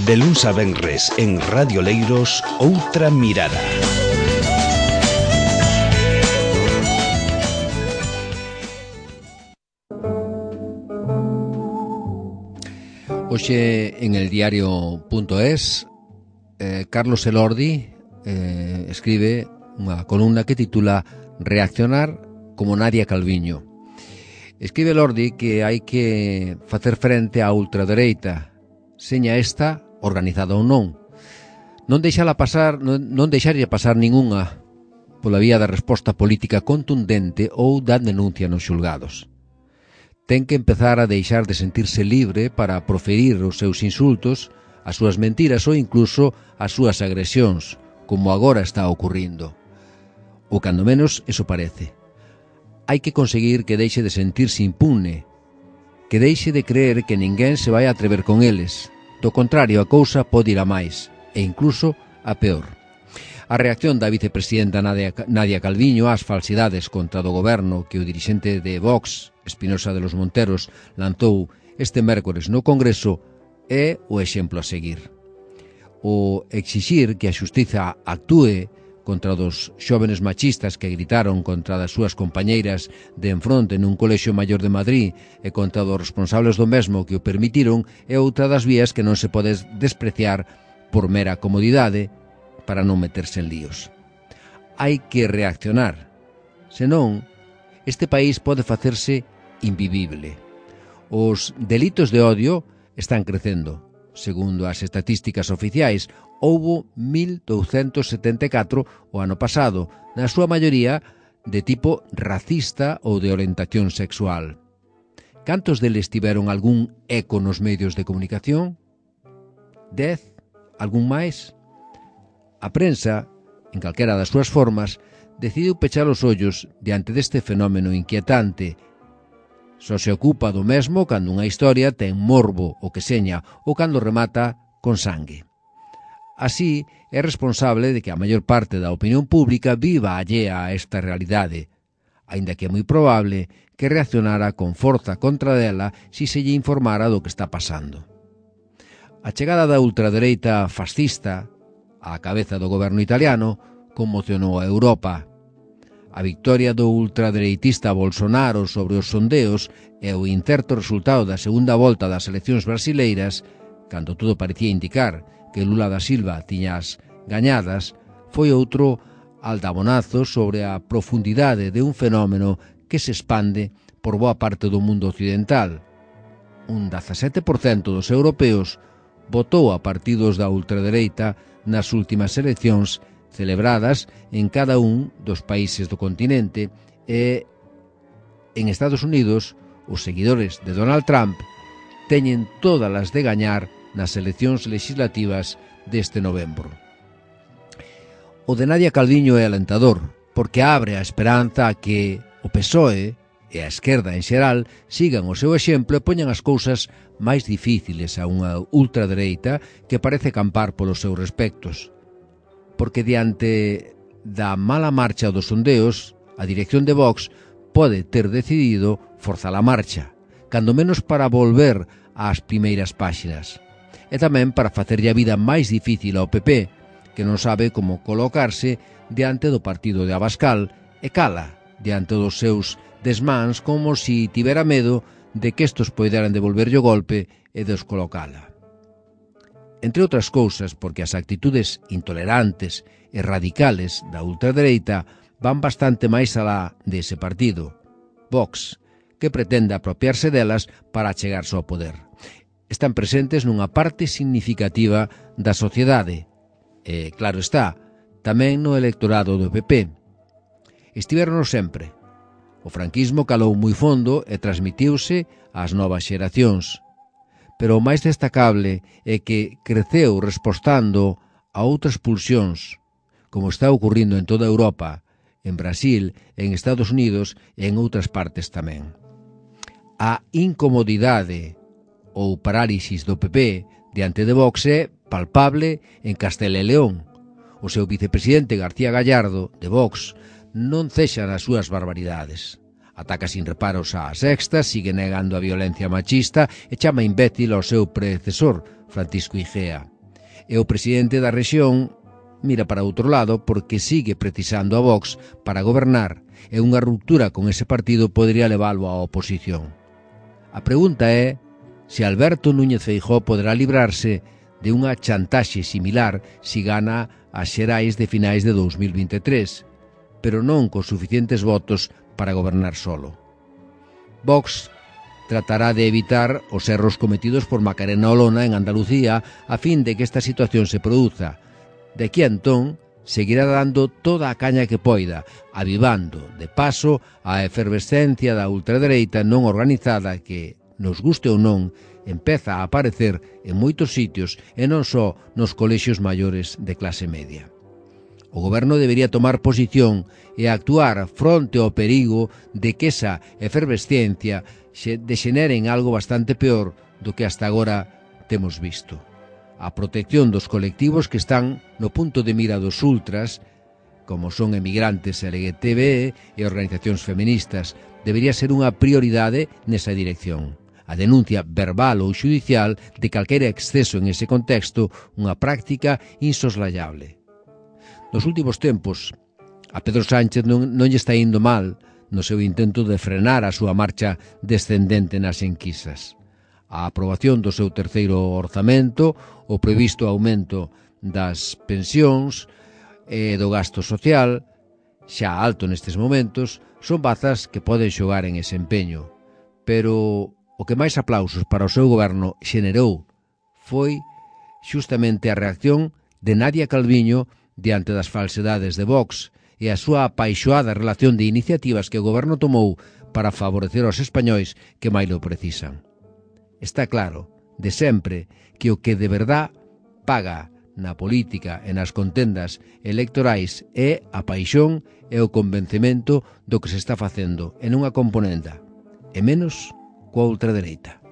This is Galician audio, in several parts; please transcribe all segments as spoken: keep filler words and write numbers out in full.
De luns a venres en Radio Leiros, Outra Mirada. Hoxe en el diario punto es eh, Carlos Elordi eh, escribe unha columna que titula Reaccionar como Nadia Calviño. Escribe Elordi que hai que facer frente á ultradereita, seña esta organizada ou non. Non deixala pasar, non, non deixarlle pasar ningunha pola vía da resposta política contundente ou da denuncia nos xulgados. Ten que empezar a deixar de sentirse libre para proferir os seus insultos, as súas mentiras ou incluso as súas agresións, como agora está ocurrindo. Ou cando menos eso parece. Hai que conseguir que deixe de sentirse impune, que deixe de creer que ninguén se vai atrever con eles. Do contrario, a cousa pode ir a máis, e incluso a peor. A reacción da vicepresidenta Nadia, Nadia Calviño ás falsidades contra do goberno que o dirixente de Vox, Espinosa de los Monteros, lanzou este mércores no Congreso é o exemplo a seguir. O exixir que a xustiza actúe contra dos xóvenes machistas que gritaron contra das súas compañeiras de enfronte nun colexio maior de Madrid e contra dos responsables do mesmo que o permitiron é outra das vías que non se pode despreciar por mera comodidade para non meterse en líos. Hai que reaccionar, senón este país pode facerse invivible. Os delitos de odio están crecendo. Segundo as estatísticas oficiais, houbo mil douscentos setenta e catro o ano pasado, na súa maioría de tipo racista ou de orientación sexual. Cantos deles tiveron algún eco nos medios de comunicación? Dez? Algún máis? A prensa, en calquera das súas formas, decidiu pechar os ollos diante deste fenómeno inquietante. Só se ocupa do mesmo cando unha historia ten morbo o que seña ou cando remata con sangue. Así, é responsable de que a maior parte da opinión pública viva allea a esta realidade, aínda que é moi probable que reaccionara con forza contra dela si se lle informara do que está pasando. A chegada da ultradereita fascista á cabeza do goberno italiano conmocionou a Europa. A victoria do ultradereitista Bolsonaro sobre os sondeos e o incerto resultado da segunda volta das eleccións brasileiras, cando todo parecía indicar que Lula da Silva tiña as gañadas, foi outro aldabonazo sobre a profundidade de un fenómeno que se expande por boa parte do mundo occidental. Un dezasete por cento dos europeos votou a partidos da ultradereita nas últimas eleccións celebradas en cada un dos países do continente e en Estados Unidos os seguidores de Donald Trump teñen todas as de gañar nas eleccións legislativas deste novembro. O de Nadia Calviño é alentador porque abre a esperanza a que o P S O E e a esquerda en xeral sigan o seu exemplo e poñan as cousas máis difíciles a unha ultradereita que parece campar polos seus respectos. Porque diante da mala marcha dos sondeos, a dirección de Vox pode ter decidido forzar a marcha, cando menos para volver ás primeiras páxinas, e tamén para facerlle a vida máis difícil ao P P, que non sabe como colocarse diante do partido de Abascal e cala diante dos seus desmáns como si tivera medo de que estos poideran devolverlle o golpe e descolocala. Entre outras cousas, porque as actitudes intolerantes e radicales da ultradereita van bastante máis alá dese partido, Vox, que pretende apropiarse delas para achegarse ao poder. Están presentes nunha parte significativa da sociedade, e, claro está, tamén no electorado do P P. Estiverono sempre. O franquismo calou moi fondo e transmitiuse ás novas xeracións. Pero o máis destacable é que creceu respostando a outras pulsións, como está ocurrindo en toda Europa, en Brasil, en Estados Unidos e en outras partes tamén. A incomodidade ou parálisis do P P diante de Vox é palpable en Castela e León. O seu vicepresidente García Gallardo, de Vox, non cexa nas súas barbaridades. Ataca sin reparos a Sexta, sigue negando a violencia machista e chama imbécil ao seu predecesor, Francisco Igea. E o presidente da rexión mira para outro lado porque sigue precisando a Vox para gobernar e unha ruptura con ese partido podería leválo á oposición. A pregunta é se Alberto Núñez Feijóo poderá librarse de unha chantaxe similar se gana as xerais de finais de dous mil vinte e tres, pero non con suficientes votos para gobernar solo. Vox tratará de evitar os erros cometidos por Macarena Olona en Andalucía a fin de que esta situación se produza. De aquí a entón, seguirá dando toda a caña que poida, avivando, de paso, a efervescencia da ultradereita non organizada que, nos guste ou non, empeza a aparecer en moitos sitios e non só nos colexios maiores de clase media. O goberno debería tomar posición e actuar fronte ao perigo de que esa efervesciencia se dexenere en algo bastante peor do que hasta agora temos visto. A protección dos colectivos que están no punto de mira dos ultras, como son emigrantes L G T B e organizacións feministas, debería ser unha prioridade nesa dirección. A denuncia verbal ou xudicial de calquera exceso en ese contexto, unha práctica insoslayable. Nos últimos tempos, a Pedro Sánchez non, non lle está indo mal no seu intento de frenar a súa marcha descendente nas enquisas. A aprobación do seu terceiro orzamento, o previsto aumento das pensións e do gasto social, xa alto nestes momentos, son bazas que poden xogar en ese empeño. Pero o que máis aplausos para o seu goberno xenerou foi xustamente a reacción de Nadia Calviño diante das falsedades de Vox e a súa apaixoada relación de iniciativas que o goberno tomou para favorecer aos españois que máis lo precisan. Está claro, de sempre, que o que de verdad paga na política e nas contendas electorais é a paixón e o convencemento do que se está facendo en unha componenda, e menos coa ultradereita.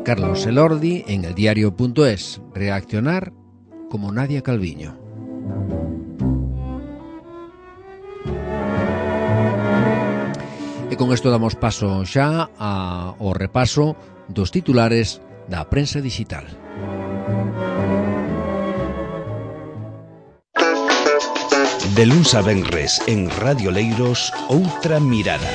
Carlos Elordi en el diario punto es. Reaccionar como Nadia Calviño. E con isto damos paso xa ao repaso dos titulares da prensa digital. De luns a venres en Radio Leiros, outra mirada.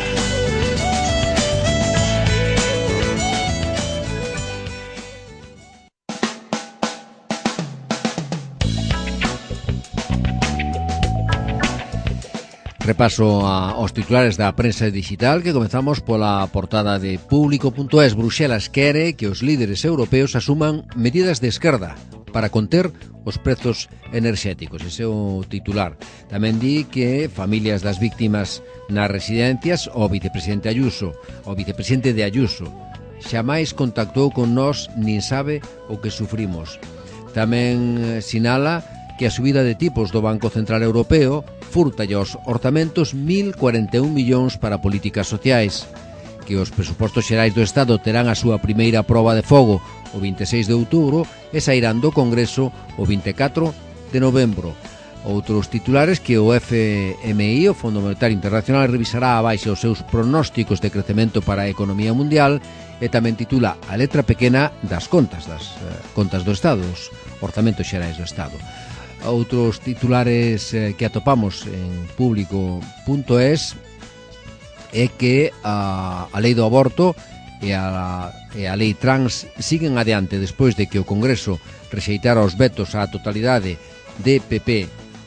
Repaso a, aos titulares da prensa digital que comezamos pola portada de Público punto es. Bruxelas quere que os líderes europeos asuman medidas de esquerda para conter os prezos enerxéticos. Ese é o titular. Tamén di que familias das víctimas nas residencias, o vicepresidente Ayuso, o vicepresidente de Ayuso, xamais contactou con nós nin sabe o que sufrimos. Tamén sinala que a subida de tipos do Banco Central Europeo furta aos orzamentos mil cuarenta e un millóns para políticas sociais, que os presupostos xerais do Estado terán a súa primeira proba de fogo o vinte e seis de outubro e sairán do Congreso o vinte e catro de novembro. Outros titulares que o F M I, o Fondo Monetario Internacional, revisará a baixa os seus pronósticos de crecemento para a economía mundial e tamén titula a letra pequena das contas, das eh, contas do Estado, os orzamentos xerais do Estado. Outros titulares eh, que atopamos en Público punto es é que a, a lei do aborto e a, e a lei trans siguen adiante despois de que o Congreso rexeitara os vetos á totalidade de P P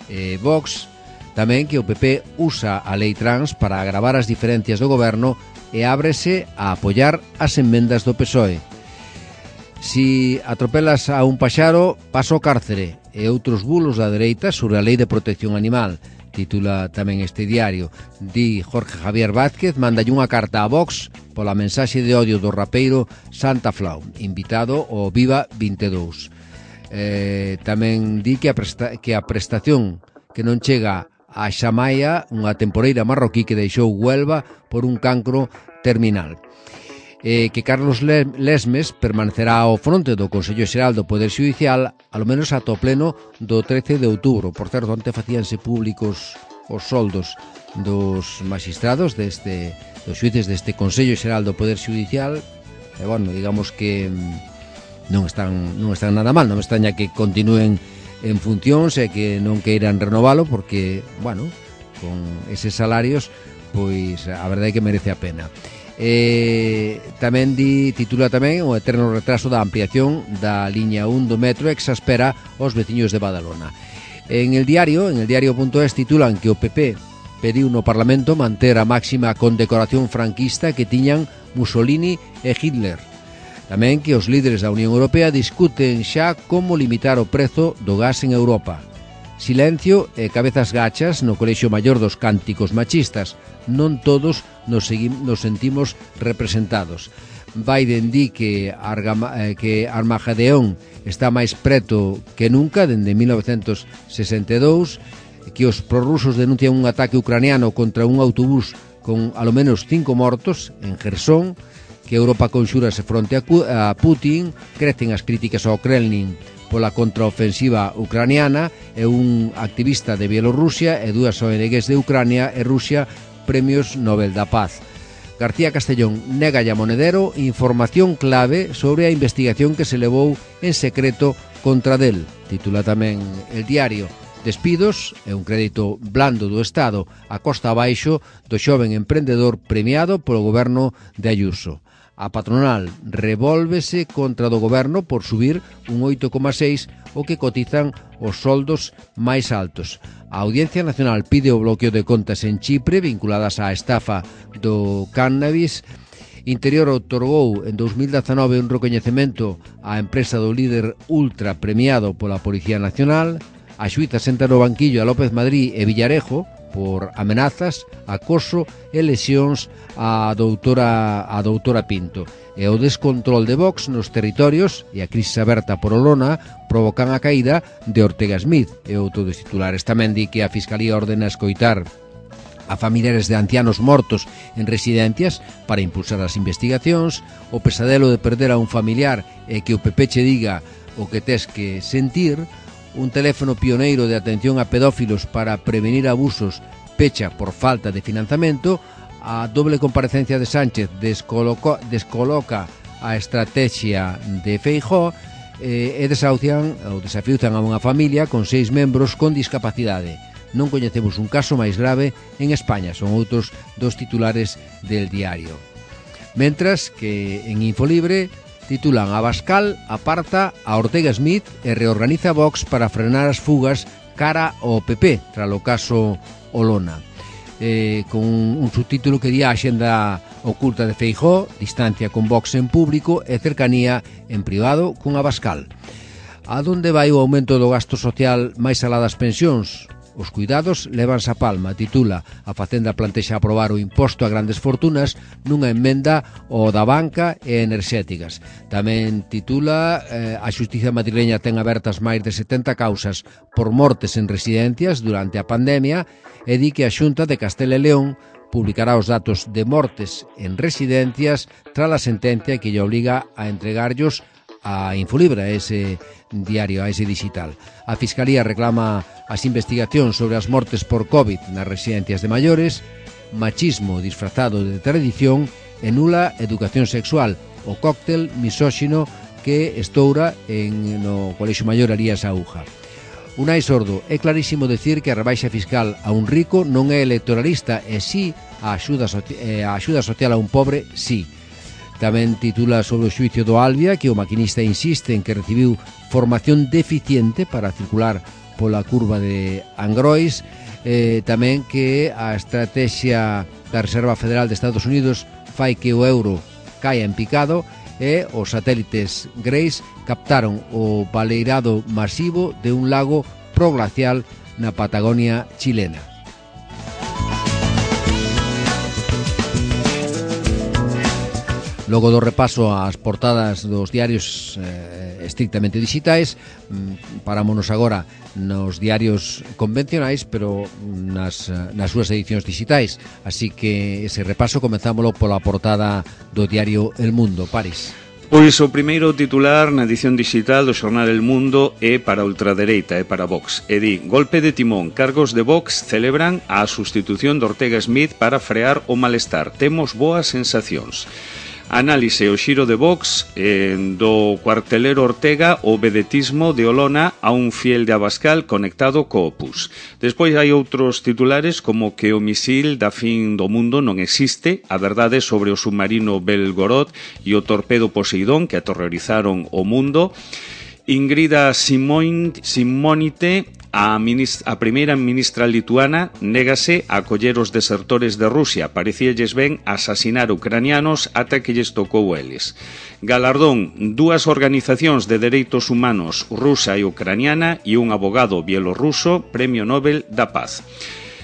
e Vox. Tamén que o P P usa a lei trans para agravar as diferencias do goberno e ábrese a apoiar as enmendas do P S O E. Si atropelas a un paxaro, pasa ao cárcere, e outros bulos da dereita sobre a lei de protección animal, titula tamén este diario. Di Jorge Javier Vázquez, mandalle unha carta a Vox pola mensaxe de odio do rapeiro Santa Flau, invitado ao Viva vinte e dous. Eh, tamén di que a, presta, que a prestación que non chega a Xamaia, unha temporeira marroquí que deixou Huelva por un cancro terminal. Eh, que Carlos Lesmes permanecerá ao fronte do Consello Xeral do Poder Xudicial alo menos ata o pleno do trece de outubro. Por certo, onte facíanse públicos os soldos dos magistrados deste, dos xuíces deste Consello Xeral do Poder Xudicial, e, bueno, digamos que non están, non están nada mal. Non me extraña que continúen en funcións e que non queiran renovalo, porque, bueno, con eses salarios, pois a verdade é que merece a pena. Eh, tamén di, titula tamén o eterno retraso da ampliación da liña un do metro exaspera os veciños de Badalona. En el diario, en el diario.es titulan que o P P pediu no Parlamento manter a máxima condecoración franquista que tiñan Mussolini e Hitler. Tamén que os líderes da Unión Europea discuten xa como limitar o prezo do gas en Europa. Silencio e cabezas gachas no Colexio Maior dos Cánticos Machistas. Non todos nos, seguim, nos sentimos representados. Biden di que, Argama, eh, que Armageddon está máis preto que nunca dende mil novecentos sesenta e dous, que os prorrusos denuncian un ataque ucraniano contra un autobús con alo menos cinco mortos en Jersón, que Europa conxúrase fronte a, a Putin, crecen as críticas ao Kremlin pola contraofensiva ucraniana, e un activista de Bielorrusia e dúas O N Gs de Ucrania e Rusia premios Nobel da Paz. García Castellón nega a Monedero información clave sobre a investigación que se levou en secreto contra del. Titula tamén el diario. Despidos e un crédito blando do Estado a costa abaixo do xoven emprendedor premiado polo goberno de Ayuso. A patronal revólvese contra do goberno por subir un oito coma seis o que cotizan os soldos máis altos. A Audiencia Nacional pide o bloqueo de contas en Chipre vinculadas á estafa do cannabis. Interior outorgou en dous mil dezanove un recoñecemento á empresa do líder ultra premiado pola Policía Nacional. A xuíza senta no banquillo a López Madrid e Villarejo por amenazas, acoso e lesións á doutora, a doutora Pinto. E o descontrol de Vox nos territorios e a crisis aberta por Olona provocan a caída de Ortega Smith. E outro dos titulares tamén di que a Fiscalía ordena escoitar a familiares de ancianos mortos en residencias para impulsar as investigacións. O pesadelo de perder a un familiar e que o P P che diga o que tes que sentir. Un teléfono pioneiro de atención a pedófilos para prevenir abusos pecha por falta de financiamento. A doble comparecencia de Sánchez descoloca, descoloca a estrategia de Feijóo eh, e desahucian ou desafiuzan a unha familia con seis membros con discapacidade. Non coñecemos un caso máis grave en España. Son outros dos titulares del diario. Mentras que en Infolibre titulan Abascal aparta a Ortega Smith e reorganiza Vox para frenar as fugas cara ao P P tras o caso Olona. Eh, con un subtítulo que di a axenda oculta de Feijóo, distancia con Vox en público e cercanía en privado con Abascal. A donde vai o aumento do gasto social máis alá das pensións? Os cuidados levanse a palma, titula. A Facenda plantexa aprobar o imposto a grandes fortunas nunha emenda ao da banca e enerxéticas. Tamén titula eh, a xustiza madrileña ten abertas máis de setenta causas por mortes en residencias durante a pandemia e di que a Xunta de Castela e León publicará os datos de mortes en residencias tras a sentencia que lle obliga a entregarllos a Infolibre, a ese diario, a ese digital. A Fiscalía reclama as investigacións sobre as mortes por COVID nas residencias de maiores. Machismo disfrazado de tradición e nula educación sexual, o cóctel misóxino que estoura en no Colexio Maior Arías Aúja. Unai Sordo, é clarísimo decir que a rebaixa fiscal a un rico non é electoralista e si a axuda, a axuda social a un pobre, si. Tamén titula sobre o xuicio do Albia que o maquinista insiste en que recibiu formación deficiente para circular pola curva de Angrois. Eh, tamén que a estrategia da Reserva Federal de Estados Unidos fai que o euro caia en picado e os satélites Grace captaron o baleirado masivo de un lago proglacial na Patagonia chilena. Logo do repaso ás portadas dos diarios eh, estrictamente digitais, parámonos agora nos diarios convencionais, pero nas, nas súas edicións digitais. Así que ese repaso comenzámoslo pola portada do diario El Mundo, París. Pois o primeiro titular na edición digital do xornal El Mundo é para a ultradereita, é para Vox. E di, golpe de timón, cargos de Vox celebran a sustitución de Ortega Smith para frear o malestar. Temos boas sensacións. Análise o xiro de Vox eh, do cuartelero Ortega o vedetismo de Olona a un fiel de Abascal conectado co Opus. Despois hai outros titulares como que o misil da fin do mundo non existe, a verdade sobre o submarino Belgorod e o torpedo Poseidón que aterrorizaron o mundo. Ingrida Simonite, a, ministra, a primeira ministra lituana, négase a acoller os desertores de Rusia. Parecíalles ben asasinar ucranianos ata que lles tocou eles. Galardón, dúas organizacións de dereitos humanos rusa e ucraniana e un abogado bielorruso, Premio Nobel da Paz.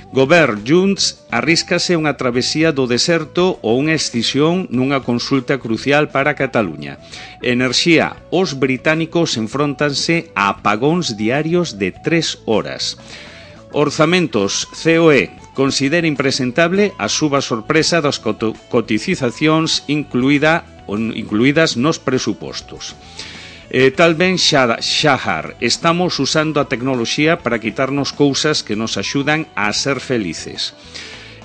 Govern Junts arríscase unha travesía do deserto ou unha escisión nunha consulta crucial para Cataluña. Enerxía, os británicos enfróntanse a apagóns diarios de tres horas. Orzamentos, C O E, considera impresentable a suba sorpresa das cotizacións incluída, incluídas nos presupostos. Eh, tal ben Xahar, estamos usando a tecnoloxía para quitarnos cousas que nos axudan a ser felices.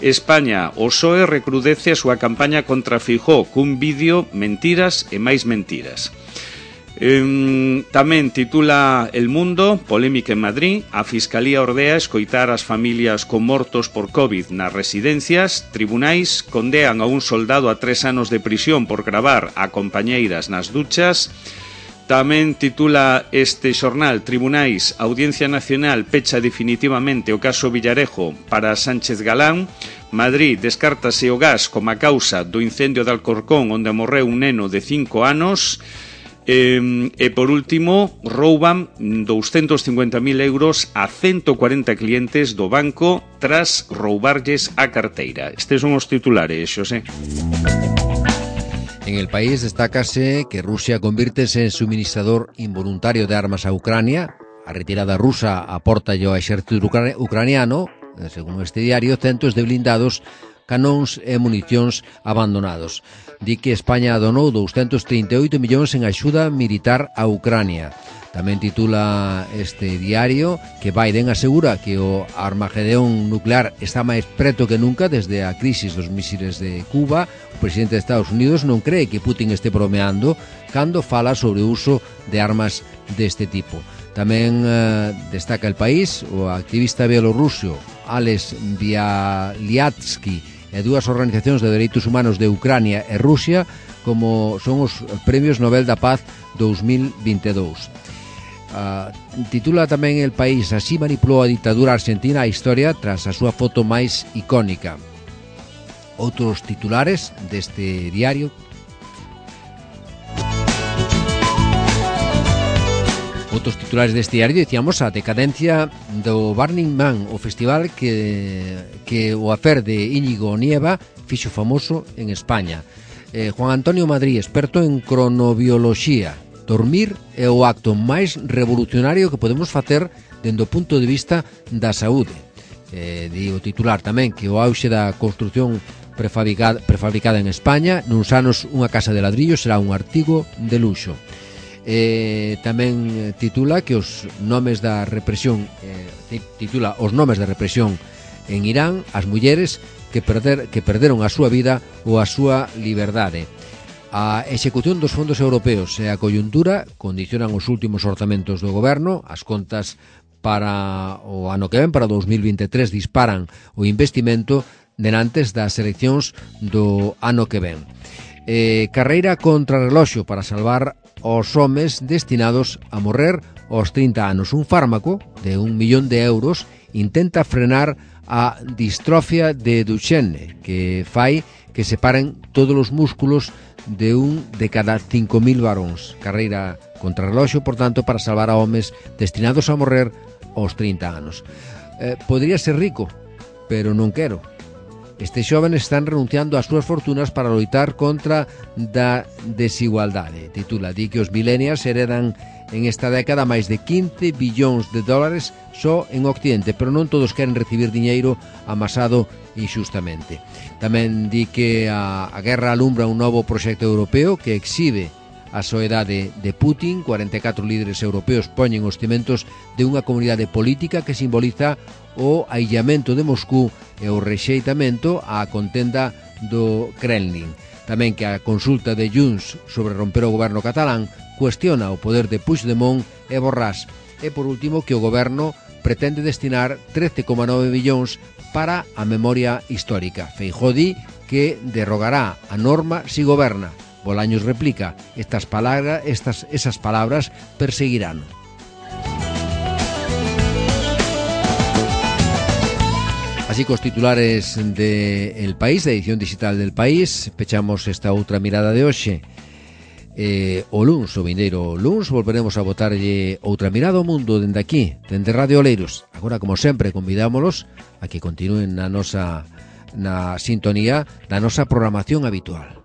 España, o P S O E recrudece a súa campaña contra Feijóo cun vídeo mentiras e máis mentiras. Eh, tamén titula El Mundo, polémica en Madrid, a Fiscalía ordea escoitar as familias con mortos por COVID nas residencias, tribunais condean a un soldado a tres anos de prisión por gravar a compañeiras nas duchas. Tamén titula este xornal, Tribunais, Audiencia Nacional pecha definitivamente o caso Villarejo para Sánchez Galán. Madrid, descártase o gas como a causa do incendio de Alcorcón onde morreu un neno de cinco anos. E, e por último, rouban doscientos cincuenta mil euros a ciento cuarenta clientes do banco tras roubarlles a carteira. Estes son os titulares, Xosé. En el país destácase que Rusia convírtese en suministrador involuntario de armas a Ucrania. A retirada rusa aporta ao exército ucraniano, según este diario, centos de blindados, canóns e municións abandonados. Di que España donou doscientos trinta e oito millóns en axuda militar a Ucrania. Tamén titula este diario que Biden asegura que o armagedón nuclear está máis preto que nunca desde a crisis dos misiles de Cuba. O presidente de Estados Unidos non cree que Putin este bromeando cando fala sobre o uso de armas deste tipo. Tamén eh, destaca El País o activista bielorruso Ales Bialyatsky e dúas organizacións de dereitos humanos de Ucrania e Rusia como son os Premios Nobel da Paz dos mil vinte e dous. Uh, titula tamén El País, así manipulou a ditadura argentina a historia tras a súa foto máis icónica. Outros titulares deste diario. Outros titulares deste diario, dicíamos, a decadencia do Burning Man, o festival que, que o afer de Íñigo Nieva fixo famoso en España. Eh, Juan Antonio Madrid, experto en cronobioloxía. Dormir é o acto máis revolucionario que podemos facer dende o punto de vista da saúde. Eh, di o titular tamén que o auxe da construción prefabricada, prefabricada en España, nuns anos unha casa de ladrillo será un artigo de luxo. Eh, tamén titula que os nomes da represión eh, titula os nomes da represión en Irán, as mulleres que, perder, que perderon a súa vida ou a súa liberdade. A execución dos fondos europeos e a coyuntura condicionan os últimos orzamentos do goberno. As contas para o ano que ven, para dous mil vinte e tres, disparan o investimento denantes das eleccións do ano que ven. Eh, carreira contra reloxo para salvar os homes destinados a morrer aos trinta anos. Un fármaco de un millón de euros intenta frenar a distrofia de Duchenne, que fai que separen todos os músculos de un de cada cinco mil varóns. Carreira contra reloxo, por tanto, para salvar a homes destinados a morrer aos trinta anos. Eh, podría ser rico, pero non quero. Estes xóvenes están renunciando ás súas fortunas para loitar contra da desigualdade. Titula, di que os millennials heredan en esta década máis de quince billóns de dólares só en Occidente, pero non todos queren recibir diñeiro amasado inxustamente. Tamén di que a, a guerra alumbra un novo proxecto europeo que exhibe a soedade de Putin. cuarenta e catro líderes europeos poñen os cimentos de unha comunidade política que simboliza o aillamento de Moscú e o rexeitamento á contenda do Kremlin. Tamén que a consulta de Junts sobre romper o goberno catalán cuestiona o poder de Puigdemont e Borràs. E por último que o goberno pretende destinar trece coma nove millóns para a memoria histórica. Feijóo di que derrogará a norma si goberna. Bolaños replica, estas palabras, estas, esas palabras perseguirán. Así que os titulares de El País, da edición digital del País, pechamos esta outra mirada de hoxe. Eh, o luns, o vindeiro luns, volveremos a botarlle outra mirada ao mundo dende aquí, dende Radio Oleiros. Agora, como sempre, convidámolos a que continúen na nosa na sintonía da nosa programación habitual.